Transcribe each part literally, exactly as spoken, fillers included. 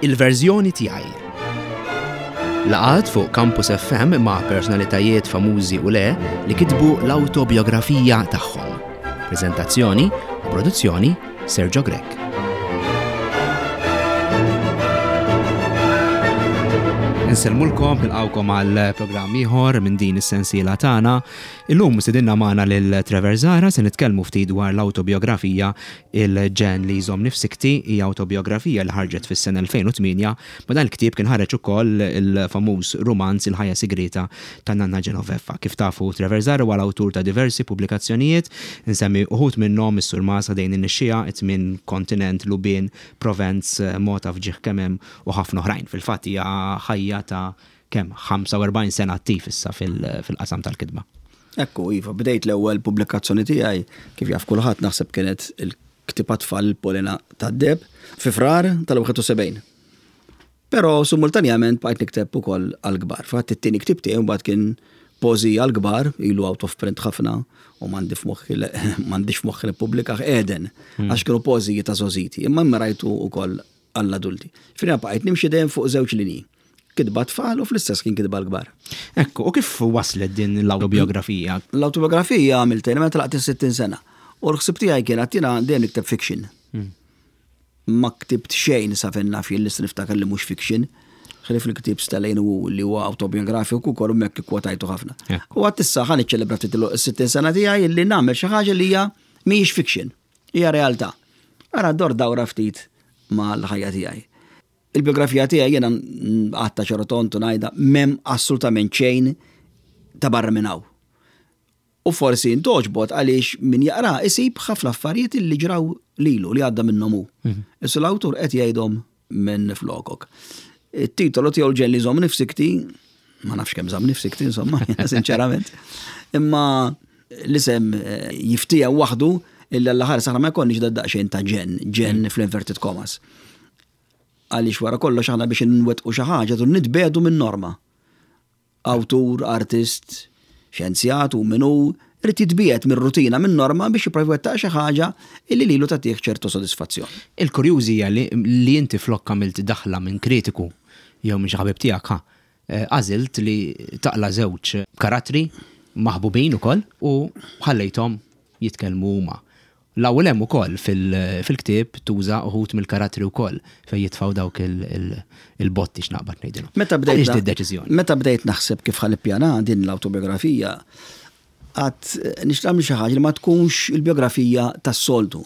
Il-verżjoni tiegħi. Laqgħat fuq Campus F M ma' personalitajiet famużi u le li kitbu l-autobiografija tagħhom. Prezentazzjoni u produzzjoni, Sergio Grech. Insellmulkom, nilqawkom għal programm ieħor minn din is-sensiela tagħna. Illum stedinna magħna lil Trevor Zahra, se nitkellmu ftit dwar l-autobiografija Il-Ġenn li Jżommni f'Sikkti. Hija autobiografija li ħarġet fis-sena elfejn u tmienja. Ma dan il-ktieb kien ħareġ ukoll il-famuż romanz Il-Ħajja Sigrita ta' Nanna Genoveffa. Kif tafu, Trevor Zahra huwa l-awtur ta' diversi pubblikazzjonijiet, insemmi uħud minnhom: Is-Surmas, Ħdejn in-Nixxiegħa, It-Tmien Kontinent, Lubien, Provenz, Mota f'Ġieħ Kemem u ħafna oħrajn. Fil-fatt hija ħajja ta' kemm ħamsa u erbgħin sena attiv issa fil-qasam tal-kitba. Ekku, iva, bdejt l-ewwel pubblikazzjoni tiegħi, kif jaf kulħadd naħseb, kienet il-ktieb tfal Polena tad-Deheb fi Frar tal-wieħed u sebgħin. Però simultanjament bqajt nikteb ukoll għal-kbar. Fatt it-tieni ktieb tiegħi mbagħad kien poeżija għal-kbar, ilu out of print ħafna u m'għandi f'moħħi m'għandix f'moħħi nippubblika, Eden, għax kienu poeżiji ta' żgħożiti, imma rajtu ukoll għall-adulti. Fina bqajt nimxi dejjem fuq żewġ linji. Kitba tfal u fl-istess kien kitba l-kbar. Ekku, u kif waslet din l-autobiografija? L-autobiografija għamiltha meta għalaqt sittin sena. U l-ħsib tiegħi kien għattina dejjem nikteb fiction. Ma ktibt xejn sa fejn naf jien li niftakar li mhux fiction. Ħlief il-ktieb Stalin u li huwa autobiografiku ukoll hemmhekk ikkwotajtu ħafna. U għedt issa ħa niċċelebra ftit il-sittin sena tiegħi li nagħmel xi ħaġa li hija mhijiex fiction, hija realtà. Ara dor dawra ftit mal-ħajja tiegħi. Il-biografija tiegħi jiena għatta ċarotontu ngħidha, m'hemm assolutament xejn ta' barra minn hawn. U forsi intogħġbot għaliex min jaqra isib ħafna affarijiet li ġraw lilu, li għadda minnhom hu. Issa l-awtur qed jgħidhom minn flokok. Il-titolu tiegħu Il-Ġenn li Jżommni f'Sikkti, ma nafx kemm żammni f'sikkti insomma, sinċerament. Imma l-isem eh, jiftija waħdu illa l-aħħar saħna ma jkollniex da daqsxejn ta' ġenn, ġenn fl-inverted commas. Għaliex wara kollox aħna biex nwettqu xi ħaġa dur nitbiegħdu minn norma. Awtur, artist, xjenzjat u minnu irid jitbiegħed minn rutina, minn norma, biex jipprova jwettaq xi ħaġa illi lilu tagħtih ċertu sodisfazzjon. Il-kurjużi hija li, li inti flok għamilt daħla minn kritiku jew minn xi ħabib tiegħek, ha, eh, għażilt li taqla żewġ karattri maħbubin ukoll u ħallejthom jitkellmu huma. L-ewwel hemm ukoll fil-ktieb tuża uħud mill-karattri wkoll fejn jitfgħu dawk il-botti, x'naqbad ngħidilhom. Meta bdejt Għaliex di deċiżjoni? Meta bdejt naħseb kif ħa nippjana din l-autobiografija, għedt nixtieq nagħmel xi ħaġa li ma tkunx il-biografija tas-soltu.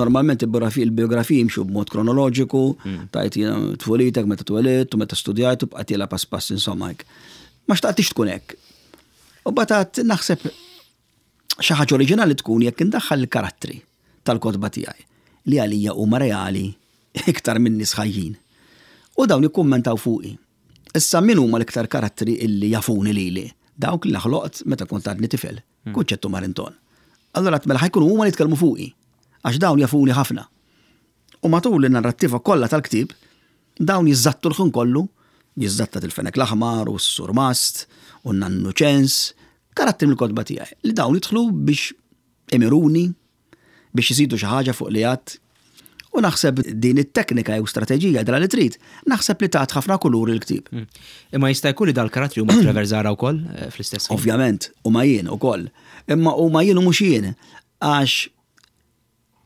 Normalment il-biografija il-biografija jimxu b'mod kronoloġiku, tajt jiena tfulitek, meta twelidt u meta studjajt u bqgħet jela pass pass insomma hekk. Ma xtaqtix tkun hekk. U batat naħseb xi ħaġa oriġinali tkun jekk indaħħal il-karattri tal-kotba tiegħi li għalija huma reali iktar minn nies ħajjin. U dawn jikkummentaw fuqi. Issa min huma l-iktar karattri illi jafuni lili? Dawk li ħloqt meta kont għadni tifel, Kunċettu, Marinton. Allora mela ħa jkunu huma li jitkellmu fuqi, għax dawn jafuni ħafna. U matul in-narrattiva kollha tal-ktieb, dawn jiżżattu l-ħin kollu, jiżżattat il-Fenek l-Aħmar u s-Surmast u n-Nannu Ċens, karattri mill-kotba tiegħi li dawn jidħlu biex imiruni, biex jisidu xi ħaġa fuq li għedt. U naħseb din it-teknika jew strateġija dra li trid, naħseb li tat ħafna kulur il-ktieb. Imma jista' jkun li dal-karattri huma Trevor Zahra wkoll eh, fl-istess ħin? Ovvjament, u ma jien ukoll. Imma u ma jien u mhux jien, għax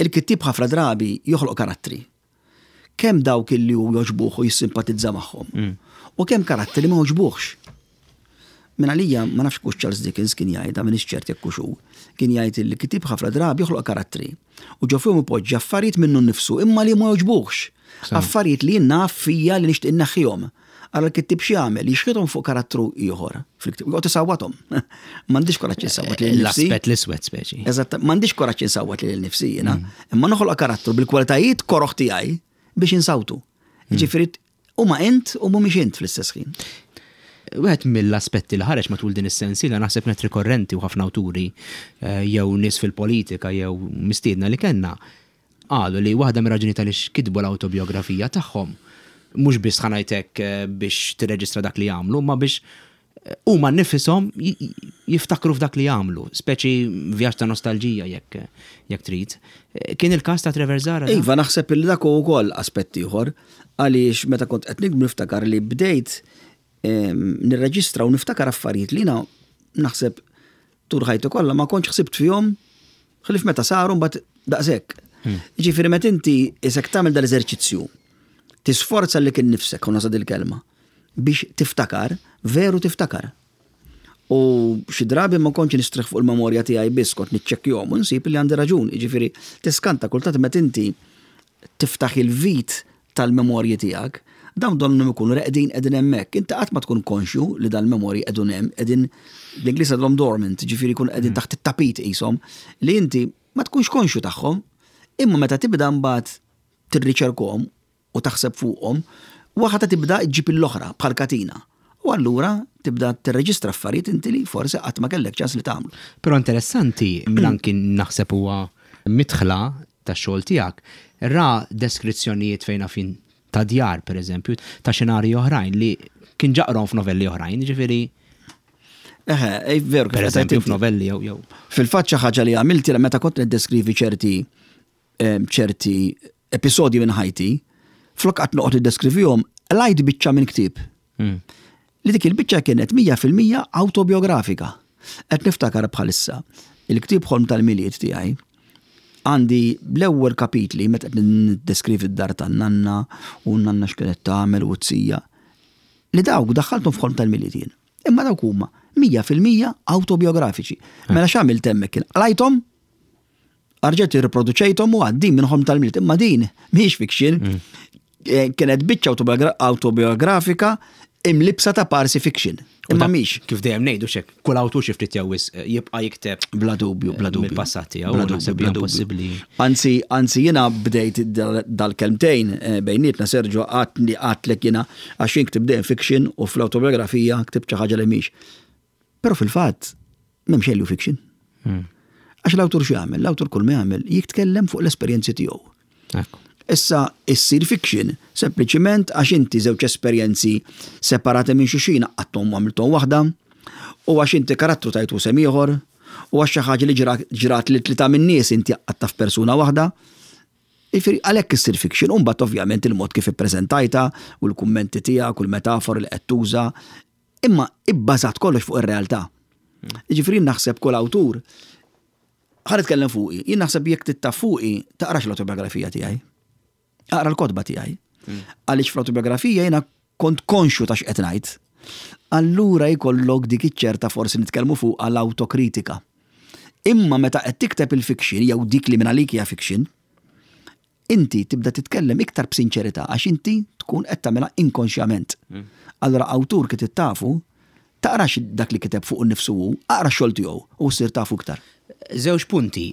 il-kittib ħafna drabi joħloq karattri. Kemm dawk illi hu jogħġbuh u jissimpatizza magħhom. U kemm karattri li ma jogħġbuhx. Min għalija, ma nafx hux Charles Dickens kien jgħidha, m'iniex ċert jekk hux hu, kien jgħid li kittieb ħafna drabi joħloq karattri. U ġo fihom ipoġġi affarijiet minnu nnifsu imma li ma jogħġbuhx. Affarijiet li jien naf fija li nixtieq inneħħihom. Ara l-kittib x'jagħmel, jixħithom fuq karattru ieħor fil-ktieb. Joqgħod isawwathom. M'għandix kuraġġ insawwat lil nifsi. L-aspett l-iswed speċi. Eżatt, m'għandix kuraġġ insawwat lil nifsi jiena, imma noħloq karattru bil-kwalitajiet koroħ tiegħi biex insawtu. Ġifieri huma int u mhumiex int fl-istess ħin. Wieħed mill-aspetti li ħareġ matul din is-sensiela, naħseb net rikorrenti u ħafna awturi eh, jew nies fil-politika jew mistiedna li kellna qalu li waħda mir-raġuni tal-ix kitbu l-autobiografija tagħhom mhux biss ħa ngħidlek eh, biex tirreġistra dak li jagħmlu, ma biex Huma nifishom jiftakru f'dak li jagħmlu, speċi vjaġġ ta' nostalġija jekk jekk trid. Kien il-każ ta' Trevor Zara? Iva, naħseb li dak ukoll aspett ieħor, għaliex meta kont qed nikbu niftakar li bdejt nirreġistra u niftakar affarijiet li naħseb tul ħajti kollha ma kontx ħsibt fihom ħlief meta saru mbagħad daqshekk. Hmm. Ġifieri meta inti isek tagħmel dal-eżerċizzju, tisforza lilek innifsek, u nuża dil-kelma, biex tiftakar, veru tiftakar. U xi drabi ma kontx nistrieħ fuq il-memorja tiegħi biss, kont niċċekkjahom u nsib li għandi raġun. Jiġifieri tiskanta kultant meta inti tiftaħ il-vit tal-memorji tiegħek, dawn donnhom ikunu reqdin, qegħdin hemmhekk. Inti qatt ma tkun konxju li dal-memorji qegħdin hemm, qegħdin, l-Ingliż għadhom dormant, ġifieri jkun qegħdin taħt it-tapit qishom, li inti ma tkunx konxju tagħhom, imma meta tibda mbagħad tirriċerkhom u taħseb fuqhom, waħda tibda ġġib l-oħra bħal katina. U allura tibda tirreġistra affarijiet inti li forsi qatt ma kellek ċans li tagħmlu. Però interessanti, anki naħseb huwa midħla tax-xogħol tiegħek. Ra deskrizzjonijiet fejn fin ta' djar, per eżempju, ta' xenarji oħrajn li kien ġa qrahom f'novelli oħrajn, ġifieri. Eħe, veru. Per eżempju, f'novelli jew jew. Fil-fatt xi ħaġa li għamilt meta kont niddeskrivi ċerti ċerti episodji minn ħajti, flok qgħadt noqgħod niddeskrivihom, qlajt biċċa minn ktieb. Hmm. Li dik il-biċċa kienet mija fil-mija autobiografika. Qed niftakar bħalissa il-ktieb Ħolm tal-Milied tiegħi, għandi l-ewwel kapitli meta qed niddeskrivi d-dar tan-nanna u n-nanna x'kienet tagħmel u t-sija. Li dawk daħħalthom f'Ħolm tal-Milied jien. Imma dawk huma mija fil-mija autobiografiċi. Mela x'għamilt hemmhekk kien qlajthom, erġajt irriproduċejthom u għaddin minn Ħolm tal-Milied. Imma din mhix fiction. Mm. Eh, kienet biċċa autobiografika imlibsa ta' parsi fiction. Imma mhix. Kif dejjem ngħidu xek, kull awtur xi ftit jew jibqa' jikteb Bla dubju, bla dubju. mill-passat tiegħu, naħseb hija impossibbli. Anzi, anzi jiena bdejt dal-kelmtejn eh, bejnietna, Sergio, għatni għatlek jiena għax jien ktib dejjem fiction u fl-autobiografija ktib xi ħaġa li mhix. Però fil-fatt m'hemm xejn fiction. Hmm. Għax l-awtur x'jagħmel? L-awtur kull ma jagħmel jitkellem fuq l-esperjenzi tiegħu. Issa issir fiction sempliċiment għax inti żewġ esperjenzi separati minn xulxin għaqqadthom u għamilthom waħda, u għax inti karattru tajtu isem ieħor, u għax xi ħaġa li ġrat li tlieta minn nies inti għaqqadtha f'persuna waħda. Jiġifieri għalhekk issir fiction, u mbagħad ovvjament il-mod kif ippreżentajta u l-kummenti tiegħek u l-metafor li qed tuża, imma ibbażat kollox fuq ir-realtà. Jiġifieri naħseb kull awtur, ħa nitkellem fuqi, jien naħseb jekk trid taf fuqi, taqrax l-autobiografija tiegħi. Aqra l-kotba tiegħi. Għaliex fl-autobiografija jiena kont konxju ta' x'qed ngħid. Allura jkollok dik iċ-ċerta, forsi nitkellmu fuq għall-autokritika. Imma meta qed tikteb il-fiction jew dik li minn għalik hija fiction, inti tibda titkellem iktar b'sinċerità għax inti tkun qed tagħmilha inkonxjament. Allura awtur kif tafu, taqrax dak li kiteb fuq nifsu hu, aqra x-xogħol tiegħu u ssir tafu iktar. Żewġ punti.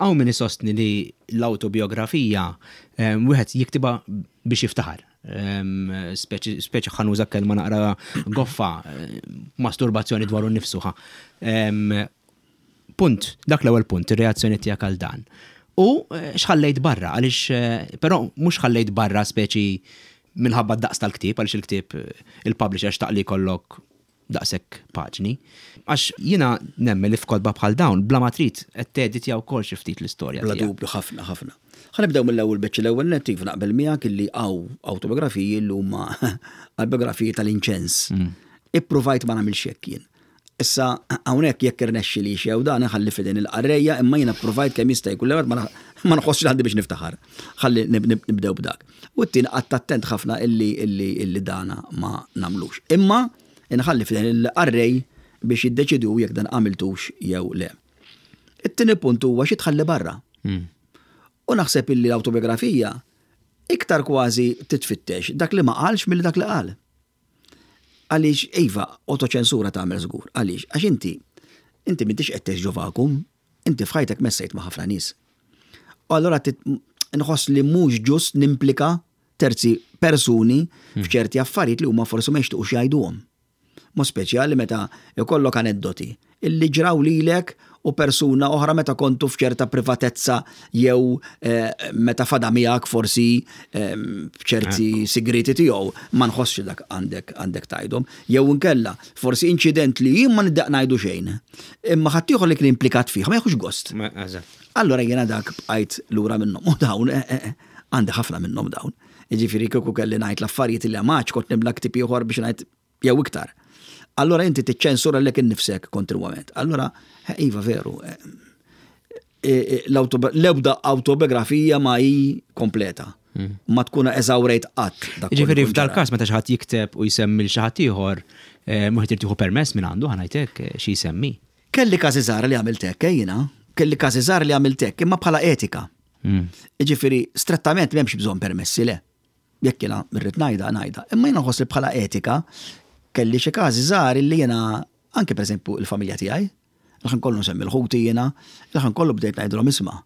Hawn min isostni li l-autobiografija wieħed jiktibha biex jiftaħar. Speċi, ħa nuża kelma naqra goffa, masturbazzjoni dwaru nnifsu. Punt, dak l-ewwel punt, ir-reazzjoni tiegħek għal dan. U eh, x'ħallejt barra, għaliex, eh, però mhux ħallejt barra speċi minħabba daqs tal-ktieb, għaliex il-ktieb eh, il-publisher xtaq li jkollok daqshekk paġni. Għax jiena nemmen li f'kotba bħal dawn, bla ma trid qed teditja wkoll xi ftit l-istorja. Bla dubju, ħafna, ħafna. Ħa nibdew mill-ewwel biċċa. L-ewwel nett naqbel miegħek illi hawn autobiografiji li huma biografiji tal-inċens. Mm. Ippruvajt ma nagħmilx hekk jien. Issa hawnhekk jekk irnexxi li xew dan ħalli f'idejn il-qarrejja, imma jiena provajt kemm jista' jkun. L-ewwel ma nħossx li għandi biex niftaħar. Ħalli nibdew b'dak. U t-tieni qgħadt attent ħafna illi illi illi dana ma nagħmlux. Imma inħalli f'idejn il-qarrej biex jiddeċidu jekk dan għamiltux jew le. It-tieni punt huwa xi tħalli barra. Hmm. U naħseb illi l-autobiografija iktar kważi titfittex dak li ma qalx milli dak li qal. Għaliex, iva, autoċensura tagħmel żgur. Għaliex, għax inti, inti m'intix qed tgħix ġo vacuum, inti f'ħajtek messejt ma' ħafna nies. U allura nħoss li mhux ġust nimplika terzi persuni hmm. f'ċerti affarijiet li huma forsi ma jixtiequx jgħiduhom. Mod speċjali meta jkollok aneddoti illi ġraw lilek u persuna oħra meta kontu f'ċerta privatezza jew eh, meta fada miegħek forsi ehm, f'ċerti sigriti tiegħu, ma nħossx dak għandek għandek tgħidhom. Jew inkella forsi inċident li jien ma niddejjaq ngħidu xejn. Imma ħaddieħor li kien implikat fih ma jieħux gost. Ma- Eżatt. Allora jiena dak bqajt lura minnhom. U dawn, eh, eh, eh, għandi ħafna minnhom dawn. Jiġifieri kieku kelli ngħid l-affarijiet li għamaċ kont nimla ktieb ieħor biex ngħid jew iktar. Allora inti tiċċensura lilek innifsek kontinwament. Allora, eh, iva veru, eh, eh, l-autobi- l-ebda autobiografija ma hi kompleta. Ma tkun eżawrejt qatt. Dak kollu Ġifieri jkun f'dal ġara. każ meta xi ħadd jikteb u jsemmi lil xi ħadd ieħor, eh, mhux qed tieħu permess minn għandu, ħa ngħidlek eh, xi jsemmi. Kelli każi żgħar li għamilt hekk, eh, jiena. Kelli każi żgħar li għamilt hekk, imma bħala etika. Mm. Ġifieri, strettament m'hemmx bżonn permessi, le. Jekk jiena rrid ngħidha, ngħidha. Imma jiena nħoss li bħala etika kelli xi każi żgħar li jiena anke, pereżempju, il-familja tiegħi, il-ħin kollu nsemmi l-ħuti jiena, il-ħin kollu bdejt ngħidilhom, "Isma'."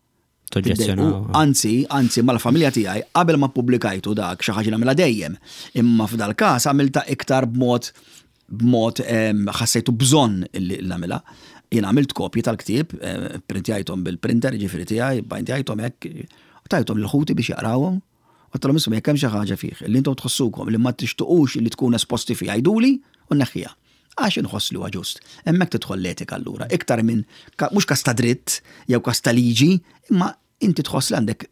Toġġezzjonaw. Anzi, anzi mal-familja tiegħi qabel ma ppubblikajtu dak, xi ħaġa nagħmilha dejjem. Imma f'dal każ għamilta iktar b'mod b'mod em, ħassejtu bżonn illi nagħmilha. Jien għamilt kopji tal-ktieb, eh, printjajthom bil-printer, ġifieri tiegħi, bajntjajthom hekk, u tajthom lil ħuti biex jaqrawhom. U għedtilhom, "Isma', jekk hemm xi ħaġa fih li intom tħossukom li ma tixtuqux li tkun esposti fih, għiduli u nneħħiha." Għax inħoss li huwa ġust. Hemmhekk tidħol l-etika allura. Iktar minn ka- mhux kas ta' dritt jew kas ta' liġi, imma inti tħoss li għandek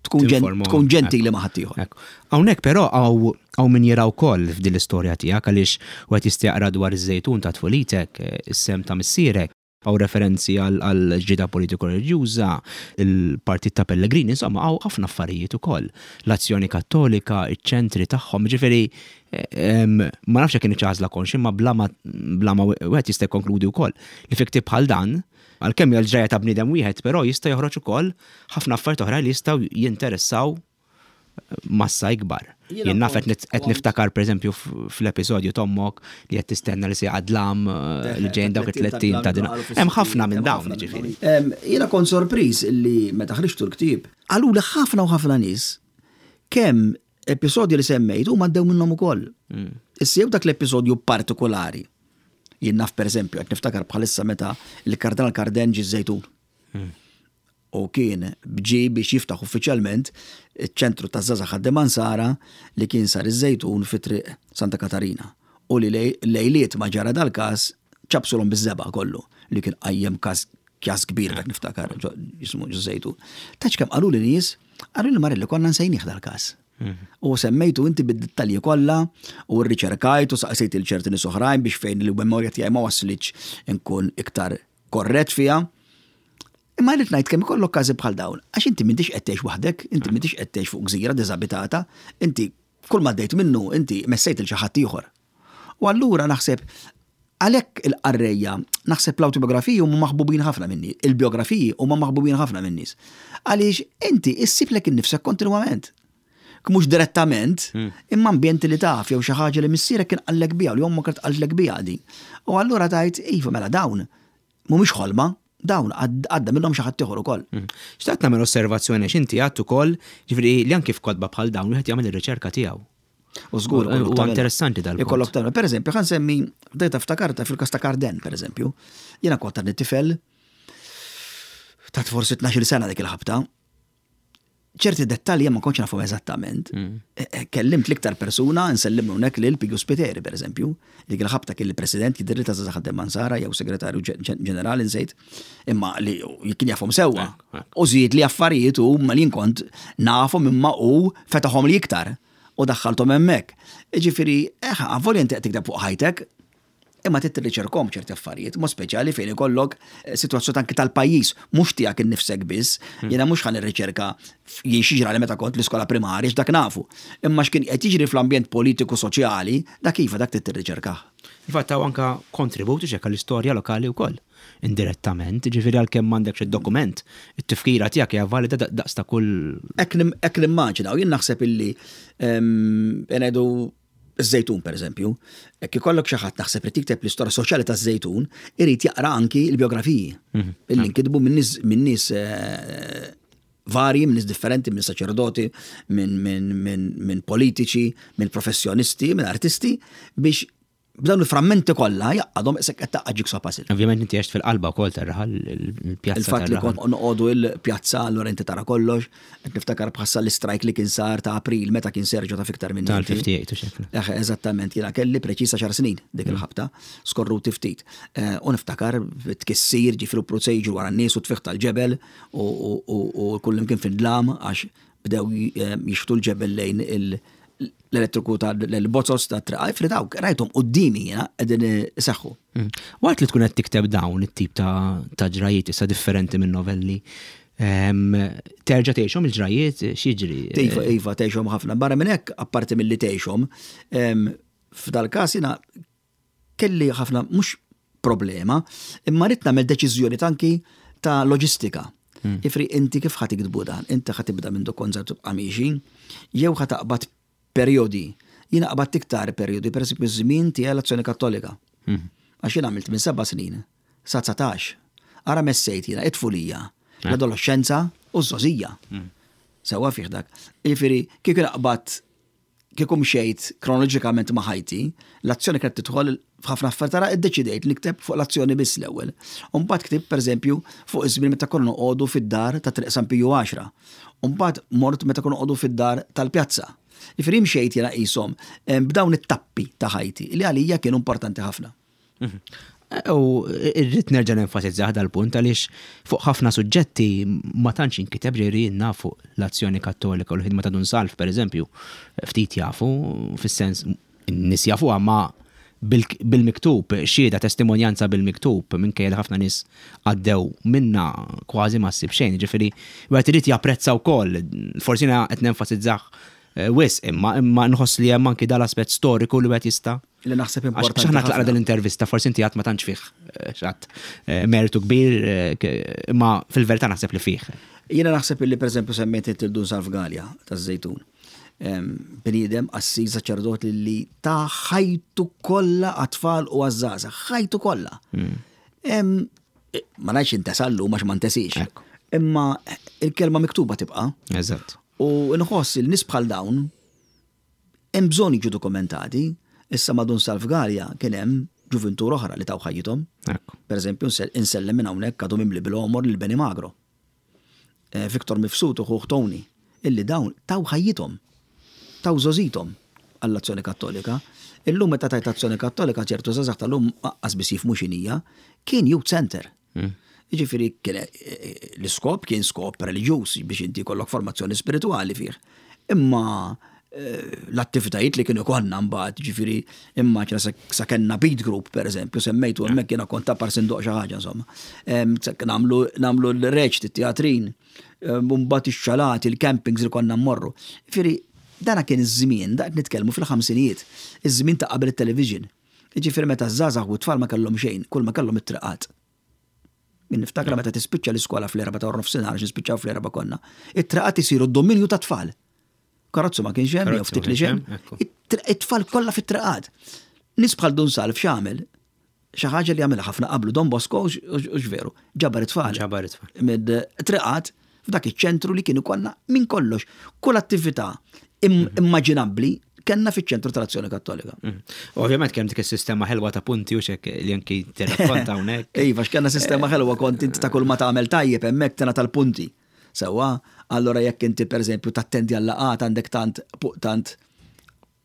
tkun ġen- Tinforma. tkun ġentili ma' ħaddieħor. Ekku. Hawnhekk però hawn hawn min jara wkoll f'din l-istorja tiegħek, għaliex wieħed jista' jaqra dwar iż-Żejtun ta' tfulitek, eh, is-sehem ta' missierek, hawn referenzi għal għal ġida politiko reliġjuża, il-partit ta' Pellegrini, insomma hawn ħafna affarijiet ukoll. L-Azzjoni Kattolika, iċ-ċentri tagħhom, ġifieri eh, em, ma nafx jekk kienx għażla konxja, imma bla ma bla ma wieħed jista' jikkonkludi wkoll li fi ktieb bħal dan, għalkemm hija l-ġrajja ta' bniedem wieħed, però jista' joħroġ ukoll ħafna affarijiet oħra li jistgħu jinteressaw massa ikbar. Jiena Jien naf qed kont- nit- qed niftakar, pereżempju, f- fl-episodju t'ommok li qed tistenna li se dlam li ġejn dawk it-tlett ijiem ta' din. Hemm ħafna minn dawn, ġifieri. Em, Jiena kont sorpriż li meta ħriġtu l-ktieb, qaluli ħafna u ħafna nies kemm episodji li semmejt huma għaddew minnhom ukoll. Issa jew dak l-episodju partikolari. Jien naf, pereżempju, qed niftakar bħalissa meta il-Kardinal Carden ġie Żejtun. U kien ġie biex jiftaħ uffiċjalment iċ-ċentru ta' żgħażagħ ħaddiema Nsara li kien sar iż-Żejtun fi triq Santa Katarina. U li lej- lejliet ma ġara dal-każ ċapsulhom biż-żebgħa kollu, li kien qajjem każ kjas kbir, dak niftakar ġo- jismu ġo Żejtun. Taċ kemm qalu li nies, qalu li Marelli konna nsejnieh dal-każ. U semmejtu inti bid-dettalji kollha u rriċerkajt u saqsejt lil ċerti nies oħrajn biex fejn il-memorja tiegħi ma waslitx inkun iktar korrett fiha. Imma rrid ngħid kemm ikollok każi bħal dawn, għax inti m'intix qed tgħix waħdek, inti m'intix qed tgħix fuq gżira diżabitata, inti kull ma għaddejt minnu inti messejt lil xi ħadd ieħor. U allura naħseb għalhekk il-qarrejja, naħseb l-autobiografiji huma maħbubin ħafna minni, il-biografiji huma maħbubin ħafna minn nies. Għaliex inti issib lilek innifsek kontinwament. Mhux direttament, imma ambjenti li taf jew xi ħaġa li missierek kien qallek biha u li ommok kienet qaltlek biha din. U allura tgħid, "Iva, mela dawn mhumiex ħolma, dawn għad- għadda minnhom xi ħadd ieħor ukoll." Xtaqt nagħmel osservazzjoni għax inti għedt ukoll, ġifieri li anki f'kotba bħal dawn wieħed jagħmel ir-riċerka tiegħu. U żgur, U- ikollok u tagħmel. interessanti dal-punt. Ikollok tagħmel. Per eżempju, ħa nsemmi, bdejta ftakarta fil-kas ta' Carden, per eżempju. Jiena kont għadni tifel ta' forsi tnax-il sena dik il-ħabta. Ċerti dettalji ma kontx nafhom eżattament. E- e, Kellimt l-iktar persuna, nsellimlu hawnhekk lil Piju Spiteri, per eżempju, dik il-ħabta kien il-president jidhirli ta' Żgħażagħ Ħaddiema Nsara jew segretarju ġen- ġen- ġenerali, nsejt, imma li kien jafhom sewwa. U żied li affarijiet u ma li kont nafhom imma u fetaħhom li iktar u daħħalthom hemmhekk. Ġifieri, eh, avolja inti qed tikteb fuq ħajtek, imma trid tirriċerkahom ċerti affarijiet, mod speċjali fejn ikollok eh, sitwazzjoni anki tal-pajjiż, mhux tiegħek innifsek biss. Jiena mhux ħa nirriċerka jien xi ġrali meta kont l-iskola primarja, x'dak nafu. Imma x'kien qed jiġri fl-ambjent politiku soċjali, dak iva, dak trid tirriċerkah. Infatti hawn anka kontributi xek għall-istorja lokali wkoll. Indirettament, ġifieri għalkemm m'għandekx id-dokument, it-tifkira tiegħek hija valida daqs ta' kull Hekk nim- hekk nimmaġina, u jien naħseb illi em, ngħidu iż-Żejtun, per eżempju, jekk ikollok xi ħadd naħseb li tikteb l-istorja soċjali taż-Żejtun, irid jaqra anki l-biografiji illi nkitbu minn nies minn nies eh, varji, minn nies differenti, minn saċerdoti, minn min, min, min politiċi, minn professjonisti, minn artisti, biex B'dawn il-frammenti kollha jgħaqqadhom qisek qed tgħaqqad jigsaw puzzle. Ovvjament inti għext fil-qalba wkoll tar-raħal, il-pjazza. Il-fatt li kont noqogħdu il-pjazza, allura inti tara kollox, qed niftakar bħassa l-istrajk li kien sar ta' April meta kien Sergio ta' fiktar minn Tal-ħamsa u ħamsin u xeklu. Eh, eżattament, jiena kelli preċisa għaxar snin dik mm. il-ħabta, skorruti ftit. Eh, u niftakar tkissir, ġifieri procedure wara n-nies u tfigħ tal-ġebel u kullimkien fid-dlam għax bdew eh, jixħtu l-ġebel lejn il- l-elettriku ta' l-bozzos ta' triq, ġifieri dawk, rajthom quddiemi jiena qegħdin iseħħu. Mm. Waqt li tkun qed tikteb dawn it-tip ta' ġrajiet issa differenti minn novelli, terġa' tgħixhom il-ġrajiet, x'jiġri? Iva, iva, tgħixhom ħafna. Barra minn hekk, apparti milli tgħixhom, f'dal każ jiena kelli ħafna mhux problema, imma rrid nagħmel deċiżjoni anki ta' loġistika. Hmm. Ġifieri inti kif ħa tiktbu dan? Inti ħa tibda minn kont żgħir tibqa' miexi, jew ħa taqbad periodi. Jiena qabadt iktar periodi, per esempio, żmien tiegħi l-Azzjoni Kattolika. Mhm. Għax jiena għamilt minn seba' snin sa dsatax. Ara messejt jiena it-tfulija, eh. l-adolescenza u ż-żgħożija. Mhm. Sewa fih dak. Jiġifieri, kieku naqbad kieku mxejt kronoloġikament ma' ħajti, l-azzjoni kienet tidħol f'ħafna affarijiet, tara iddeċidejt nikteb fuq l-azzjoni biss l-ewwel. U mbagħad ktibt, pereżempju, fuq iż-żmien meta konna noqogħdu fid-dar ta' Triq San Piju għaxra. U mbagħad mort meta konna noqogħdu fid-dar tal-pjazza. Jiġifieri mxejt jiena qishom b'dawn it-tappi ta' ħajti li għalija kienu importanti ħafna. Mhm. U irrid nerġa' nenfasizza dal-punt għaliex fuq ħafna suġġetti ma tantx inkiteb, ġifieri fuq l-Azzjoni Kattolika u l-ħidma ta' Dun Salv, pereżempju, ftit jafu, fis-sens n-nies jafu ma bil-miktub, xhieda, testimonjanza bil-miktub, minkejja li ħafna nies għaddew minna, kważi ma ssib xejn, ġifieri wieħed irid japprezza wkoll, forsi qed nenfasizzah eh, wisq, imma imma nħoss li hemm anki dal-aspett storiku li wieħed jista' Li naħseb importanti. X'aħna tlaqna dell-intervista, forsi inti għad ma tantx fih eh, xatt eh, mertu kbir, imma fil-verità naħseb li fih. Jiena naħseb li, pereżempju, semmejt il-Dun Salv Galea taż-Żejtun. Bniedem, qassis, saċerdot li ta ħajtu kollha għat-tfal u għaż-żgħażagħ, ħajtu kollha. Hmm. Ma ngħidx intesa llum għax ma ntesix. Imma il-kelma miktuba tibqa'. Eżatt. U nħoss il-nies bħal dawn hemm bżonn jiġu dokumentati. Issa ma' Dun Salv Galea kien hemm ġuvintur oħra li taw ħajjithom. Per eżempju, insellem minn hawnhekk, għadu mimli bil-għomor, lil Beni Magro. Eh, Viktor Mifsud u ħuh Tony, illi dawn taw ħajjithom, taw żgħożithom għall-Azzjoni Kattolika. Illum meta tgħid Azzjoni Kattolika, ċertu żgħażagħ tal-lum qas biss jifhmu x'inhija, kien youth center. Hmm. Jiġifieri kien eh, eh, l-iskop kien skop reliġjuż biex inti jkollok formazzjoni spirituali fih. Imma eh, l-attivitajiet li kienu konna mbagħad, ġifieri immaġina sa kellna beat group, per eżempju, semmejtu hemmhekk jiena kont ta' parsi ndoqq xi ħaġa, insomma. Nagħmlu nagħmlu l-reċti, teatrin, mbagħad ix-xalati, il-campings li konna mmorru. Ġifieri dana kien iż-żmien, da qed nitkellmu fil-ħamsinijiet, iż-żmien ta' qabel it-television. Ġifieri meta żgħażagħ u tfal ma kellhom xejn, kull ma kellhom it-triqat. Min niftakra meta tispiċċa l-iskola fl-erba ta' nofsinhar, għax nispiċċaw fl-erba konna. It-triqat isiru d-dominju ta' tfal. Karozzu ma kienx hemm, jew ftit li hemm. It-tfal kollha fit-triqat. Nies bħal Dun Salv x'għamel? Xi ħaġa li għamilha ħafna qablu Don Bosco, u veru, ġabar it-tfal. Ġabar it-tfal. Mid-triqat f'dak iċ-ċentru li kienu konna minn kollox. Kull attività mhm. immaġinabbli kellna fiċ-ċentru tal-Azzjoni Kattolika. Mhm. Ovvjament kemm dik is-sistema ħelwa ta' punti u xek li anki tirrakkonta hawnhekk. Iva, x'kellna sistema ħelwa, kont inti ta' kull ma tagħmel tajjeb hemmhekk tena tal-punti. Sewwa, allora jekk inti, pereżempju, tattendi għal-laqgħat għandek tant tant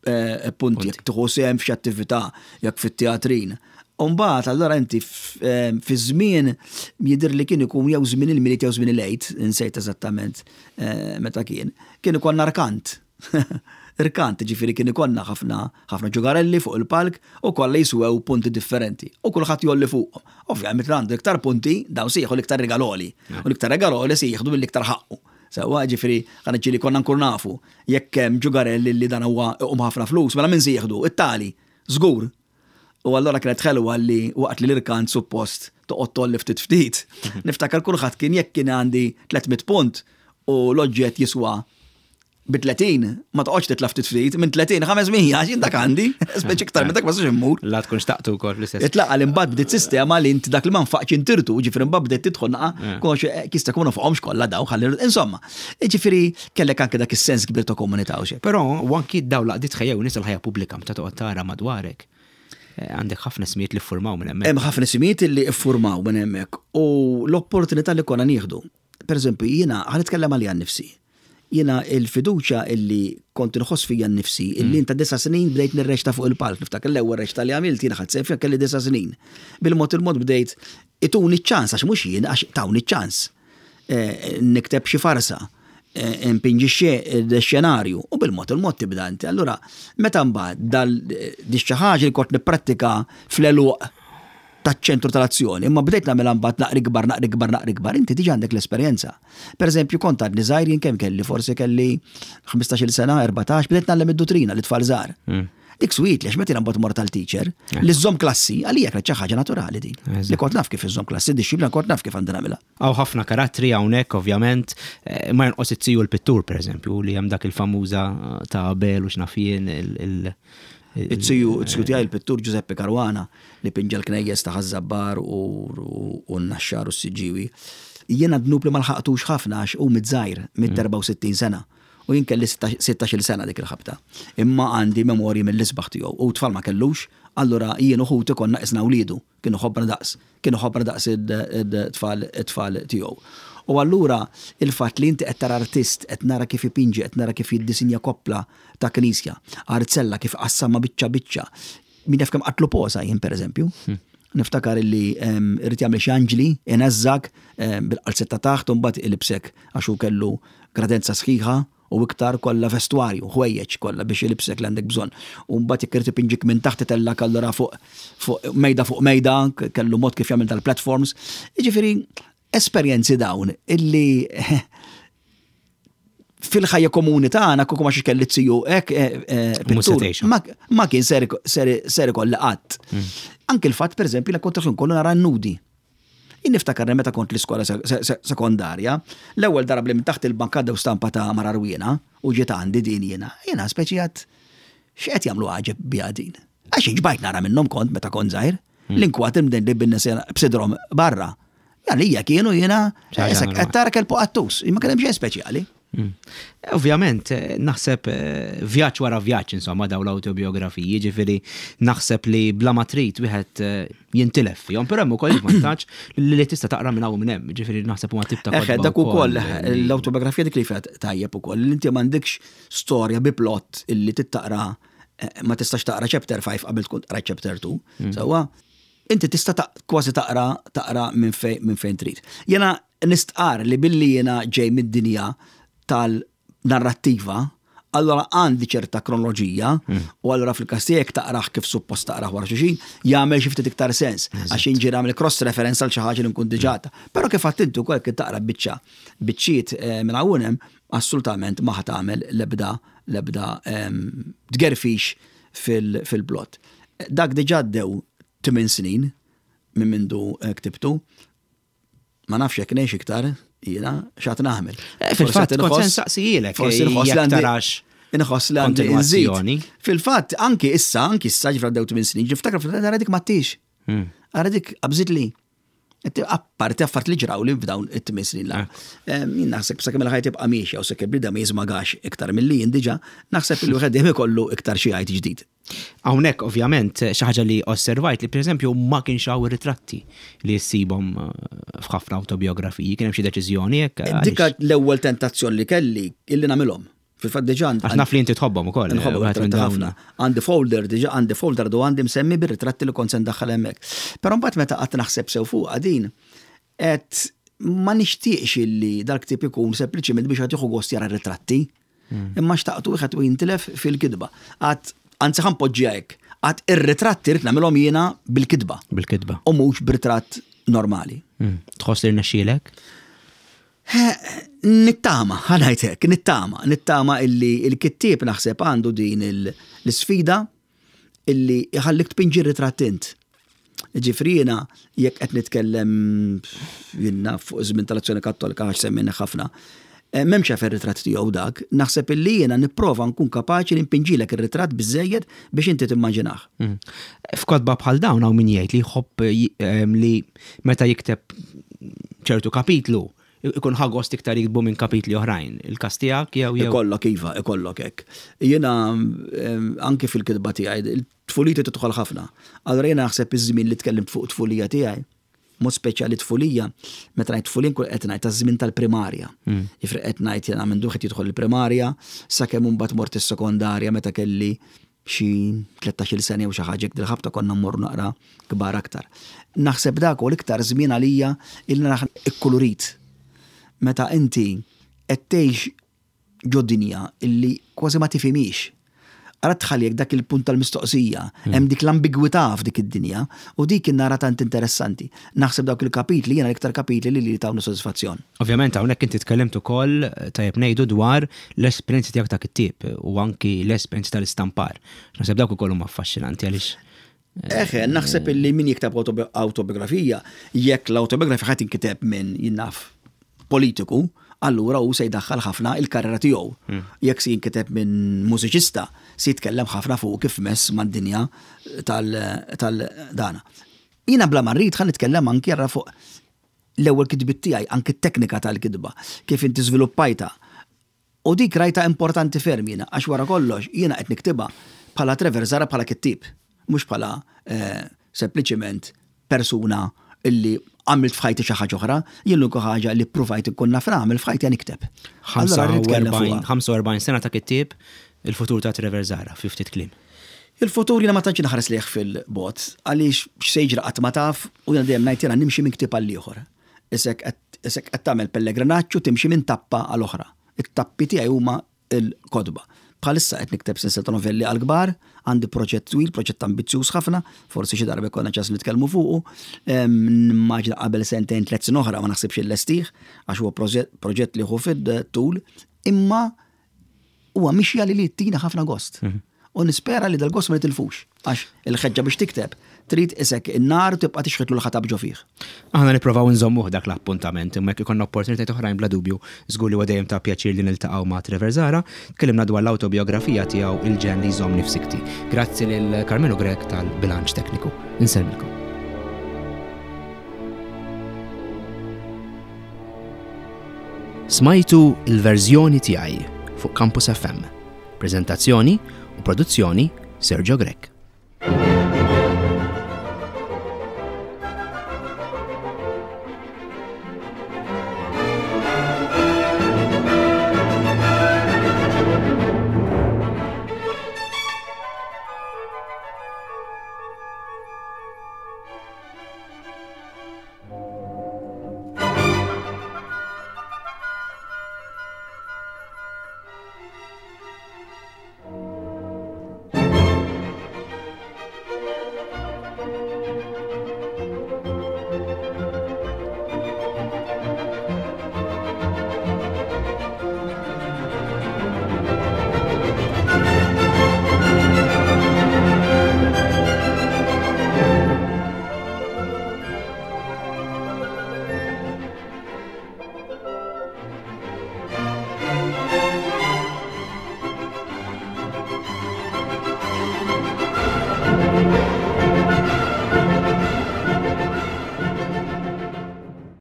eh, punti, jekk tieħu sehem f'xi attività, jekk fit-teatrin. Umbagħad allora inti eh, fi żmien jidher li kien ikun jew żmien il-Milied jew żmien il-Għid, insejt eżattament eh, meta kien, kien ikun arkant. Irkant, ġifieri kien ikollna ħafna ħafna ġugarelli fuq il-palk u kollha jiswew punti differenti. U kulħadd jgħolli fuqhom. Ovvjament għandu iktar punti, dawn se jieħu l-iktar regaloli. U l-iktar regaloli se jieħdu mill-iktar ħaqqu. Sewwa, ġifieri ħana ġieli konna nkun nafu jekk hemm ġugarelli li dan huwa iqum ħafna flus, mela min se jieħdu? It-tali, żgur. U allora kienet ħelwa li waqt li l-irkant suppost toqgħod tgħolli ftit ftit, niftakar kulħadd kien, jekk kien għandi tliet mitt punt u l-oġġett jiswa bi tletin, ma toqgħodx titla' ftit ftit, minn tletin ħames mija, għax jien dak għandi, speċi iktar minn dak ma sax immur. La tkun xtaqtu wkoll fl-istess. Itlaqa li mbagħad bdiet sistema li inti dak li ma nfaqx intirtu, ġifieri mbagħad bdiet tidħol naqa, konx eh, kista kunu fuqhomx kollha daw ħalli insomma. Ġifieri kellek anke dak is-sens kbir ta' komunità u xejn. Però u anki daw laqdiet ħejjew nies il-ħajja pubblika meta toqgħod tara madwarek. Għandek ħafna ismijiet li ffurmaw minn hemmhekk. Hemm ħafna ismijiet li ffurmaw minn hemmhekk u l-opportunità li konna nieħdu. Per eżempju, jiena ħa nitkellem għalija nnifsi. Jiena il-fiduċja illi kont nħoss fija nnifsi, illi mm. ta' disa snin bdejt nirreċta fuq il-palk, niftakar l-ewwel reċta li għamilt jiena ħadt sehem kelli disa snin. Bil-mod il-mod bdejt ituni ċans, għax mhux jien, għax tawni ċans. Eh, nikteb xi farsa, eh, npinġi xenarju u bil-mod il-mod tibda inti. Allura, meta mbagħad dal di xi ħaġa li kont nipprattika fl-għeluq taċ-ċentru tal-azzjoni, imma bdejt nagħmel mbagħad naqri kbar, naqri kbar, naqri kbar, inti diġà għandek l-esperjenza. Per eżempju, kont għadni żgħir jien kemm kelli, forsi kelli ħmistax-il sena, erbatax, bdejt ngħallem id-duttrina lit-tfal żgħar. Mm. Dik sweet li għax meta mbagħad mort tal-teacher, eh. li żżomm klassi, għalija kienet xi ħaġa naturali din. Li kont naf kif iżżomm klassi, dixxiplina kont naf kif għandi nagħmilha. Hawn ħafna karattri hawnhekk ovvjament, eh, ma jonqos it-tiju l-pittur pereżempju li hemm dak il-famuża ta' Abel u x'naf jien il- It-tiju, it-tiju tiegħi il-pittur Giuseppe Caruana li pinġa l-knejjes ta' Ħaż-Żabbar u n-Naxxar u s-Siġġiewi. Jiena dnub li ma lħaqtux ħafna għax hu miet żgħir, miet erbgħa u sittin sena. U jien kelli sittax-il sena dik il-ħabta. Imma għandi memorji mill-isbaħ tiegħu. U tfal ma kellux, allura jien u ħuti konna qisna wliedu, kienu ħobbna daqs, kienu ħobbna daqs it-tfal it-tfal tiegħu. U allura il-fatt li inti qed tara artist, qed nara kif ipinġi, qed nara kif jiddisinja koppla ta' knisja, arzella kif qassama biċċa biċċa. Min jaf kemm qatlu posa jien pereżempju. Hmm. Niftakar illi irid jagħmel xi anġli, ineżżak bil-qalzetta taħt u mbagħad ilibsek għax hu kellu gradenza sħiħa u iktar kollha vestwarju, ħwejjeġ kollha biex ilibsek li għandek bżonn. U mbagħad jekk irid ipinġik minn taħt itellak allura fuq fuq mejda fuq mejda, kellu mod kif jagħmel tal-platforms. Jiġifieri esperjenzi dawn illi fil-ħajja komuni tagħna kieku ma kelli ziju hekk eh, eh, pittur, ma kien ser ikolli qatt. Hmm. Anke il-fatt pereżempju li kont kollu nara nudi. Jien niftakar meta kont l-iskola sekondarja, l-ewwel darba li minn taħt il-bank għaddew stampa ta' mara għarwiena u ġiet għandi din jiena. Jiena speċi għedt x'qed jagħmlu għaġeb biha din. Għax xbajt nara minnhom kont meta kont żgħir. Hmm. L-inkwat imden li bin b'sidrom barra. Għalija kienu jiena, qed tara kelb qattus, imma kien hemm xejn speċjali. Hmm. Ovvjament, eh, naħseb eh, vjaġġ wara vjaġġ, insomma, daw l-autobiografiji, ġifieri naħseb li bla ma trid wieħed eh, jintilef fihom, però hemm ukoll il-vantaġġ li tista' taqra minn hawn minn hemm, ġifieri naħseb huma tip ta' Eħe, dak ukoll l-autobiografija dik li fiha tajjeb ukoll, li inti m'għandekx storja bi plot illi tittaqra ma tistax taqra chapter five qabel tkun taqra chapter two. Hmm. Sewwa, inti tista' kważi taqra taqra minn fejn trid. Jena nistqar li billi jena ġej mid-dinja tal-narrattiva, allora għandi ċerta kronoloġija mm. u allora fil-każ tiegħek taqraħ kif suppost taqraħ wara xulxin, jagħmel xi ftit iktar sens għax inġi nagħmel cross reference għal xi ħaġa li nkun diġà. Però kif għedt inti wkoll kif taqra biċċa biċċiet eh, minn hawn hemm assolutament ma ħa tagħmel l-ebda l-ebda tgerfix fil-plot. Dak diġà għaddew tmien snin minn mindu eh, ktibtu. Ma nafx jekk ngħix iktar, jiena x'għad nagħmel. Eh, fil-fatt, kont se nsaqsijilek. Forsi nħoss li tarax. Inħoss li għandi nżid. Fil-fatt, anki issa, anki issa ġifra għaddew tmien snin, niftakar fil-fatt ara dik m'għedtx. Hmm. Ara dik qabżit li. Apparti affarijiet li ġraw li f'dawn it-tmien snin la. Eh. Jien naħseb sakemm il-ħajja tibqa' miexja u sakemm bniedem ma jiżmagax iktar milli jien diġà, naħseb li wieħed dejjem ikollu iktar xi jgħid ġdid. Hawnhekk ovvjament xi ħaġa li osservajt li pereżempju ma kienx hawn ritratti li ssibhom eh, f'ħafna autobiografiji, kien hemm xi deċiżjoni hekk? Dika l-ewwel tentazzjoni li kelli illi nagħmilhom. Fil-fatt diġà Għax naf li inti tħobbhom ukoll. Nħobbhom ħafna. Għandi folder diġà għandi folder do għandi msemmi bir-ritratti li kont se ndaħħal hemmhekk. Però mbagħad meta qatt naħseb sew fuq din qed ma nixtieqx illi dal-ktieb ikun sempliċiment biex qed jieħu gost jara ritratti. Hmm. Imma xtaqtu wieħed u jintilef fil-kitba. Għedt anzi ħa npoġġiha hekk. Għedt ir-ritratti rrid nagħmilhom jiena bil-kitba. Bil-kitba. U mhux b'ritratt normali. Hmm. Tħoss li rnexxielek? Nittama, ħa ngħidlek, nittama, nittama illi il-kittieb naħseb għandu din l-sfida illi jħallik tpinġi ritratt int. Ġifieri jiena, jekk qed nitkellem jiena fuq żmien tal-Azzjoni Kattolika għax semmejna ħafna, eh, m'hemmx għalfejn ritratt tiegħu dak, naħseb illi jiena nipprova nkun kapaċi li npinġilek ir-ritratt biżejjed biex inti timmaġinah. Mm. F'kotba bħal dawn hawn min jgħid li jħobb li meta jikteb ċertu kapitlu ikun ħa gost iktar jiktbu minn kapitli oħrajn. Il-każ tiegħek jew jew. Ikollok iva, ikollok hekk. Jiena anki fil-kitba tiegħi Tfuliti tidħol ħafna. Allura jiena naħseb iż-żmien li tkellimt fuq tfulija tiegħi, mod speċjali tfulija, meta ngħid tfulija nkun qed ngħid taż-żmien tal-primarja. Jiġifieri qed ngħid jiena minn duħet jidħol il-primarja, sakemm imbagħad mort is-sekondarja meta kelli xi tlettax-il sena jew xi ħaġa hekk, dil-ħabta konna mmorru naqra kbar aktar. Naħseb dak u l-iktar żmien għalija il naħ ikkulurit. Meta inti qed tgħix ġo dinja illi kważi ma tifhimix. Ara tħalli dak il-punt tal-mistoqsija, hemm dik l-ambigwità f'dik id-dinja u dik nara tant interessanti. Naħseb dawk il-kapitli jiena l-iktar kapitli li li tawni sodisfazzjon. Ovvjament hawnhekk inti tkellimt ukoll tajjeb ngħidu dwar l-esperjenzi tiegħek ta' kittieb u anki l-esperjenzi tal-istampar. Naħseb dawk ukoll huma affaxxinanti għaliex Eħe, naħseb illi min jikteb autobi-, autobiografija, jekk l-autobiografija ħadd inkiteb minn jinnaf politiku, allura hu se jdaħħal ħafna il-karriera tiegħu. Hmm. Jekk se jinkiteb minn mużiċista, se jitkellem ħafna fuq kif mess mad-dinja tal-, tal-dana. Jiena bla ma rrid ħa nitkellem anki jarra fuq l-ewwel kitbiet tiegħi, anki t-teknika tal-kitba, kif inti żviluppajta. U dik rajta importanti ferm jiena, għax wara kollox jiena qed niktibha bħala Trevor Zahra bħala kittieb, mhux bħala, eh, sempliċiment persuna illi għamilt f'ħajti xi ħaġa oħra, jien l-unika ħaġa li ppruvajt inkun naf nagħmel f'ħajti għan nikteb. Allura rrid nitkellem fuqha. ħamsa u erbgħin sena ta' kittieb, il-futur ta' Trevor Zahra, fi ftit kliem. Il-futur jiena ma tantx inħares lejh fil-bot, għaliex x'se jiġri qatt ma taf, u jiena dejjem ngħid jiena nimxi minn ktieb għal ieħor. Isek qed, isek qed tagħmel pellegrinaġġ u timxi minn tappa għal oħra. It-tappi tiegħi huma l-kotba. Bħalissa qed nikteb sensiela ta' novelli għal kbar, għandi proġett twil, proġett ambizzjuż ħafna, forsi xi darba jkollna ċans nitkellmu fuqu. Em, nimmaġina qabel sentejn tliet snin oħra ma naħsibx illestih, għax huwa proġett, proġett li hu fid-tul, imma huwa mixja li li tina ħafna gost. Mhm. U nispera li dal-gost ma nitilfux, għax il-ħeġġa biex tikteb trid isek in-nar tibqa' tixħetlu l-ħatab ġo fih. Aħna nipprovaw nżommuh dak l-appuntament, imma jekk ikollna opportunitajiet oħrajn bla dubju, żgur li huwa dejjem ta' pjaċir li niltaqgħu ma' Trevor Zahra. Tkellimna dwar l-awtobiografija tiegħu Il-ġenn li jżommni f'sikti. Grazzi lil Carmelo Grech tal-bilanċ tekniku. Insellmilkom. Smajtu il-verżjoni tiegħi fuq Campus F M. Prezentazzjoni u produzzjoni Sergio Grech.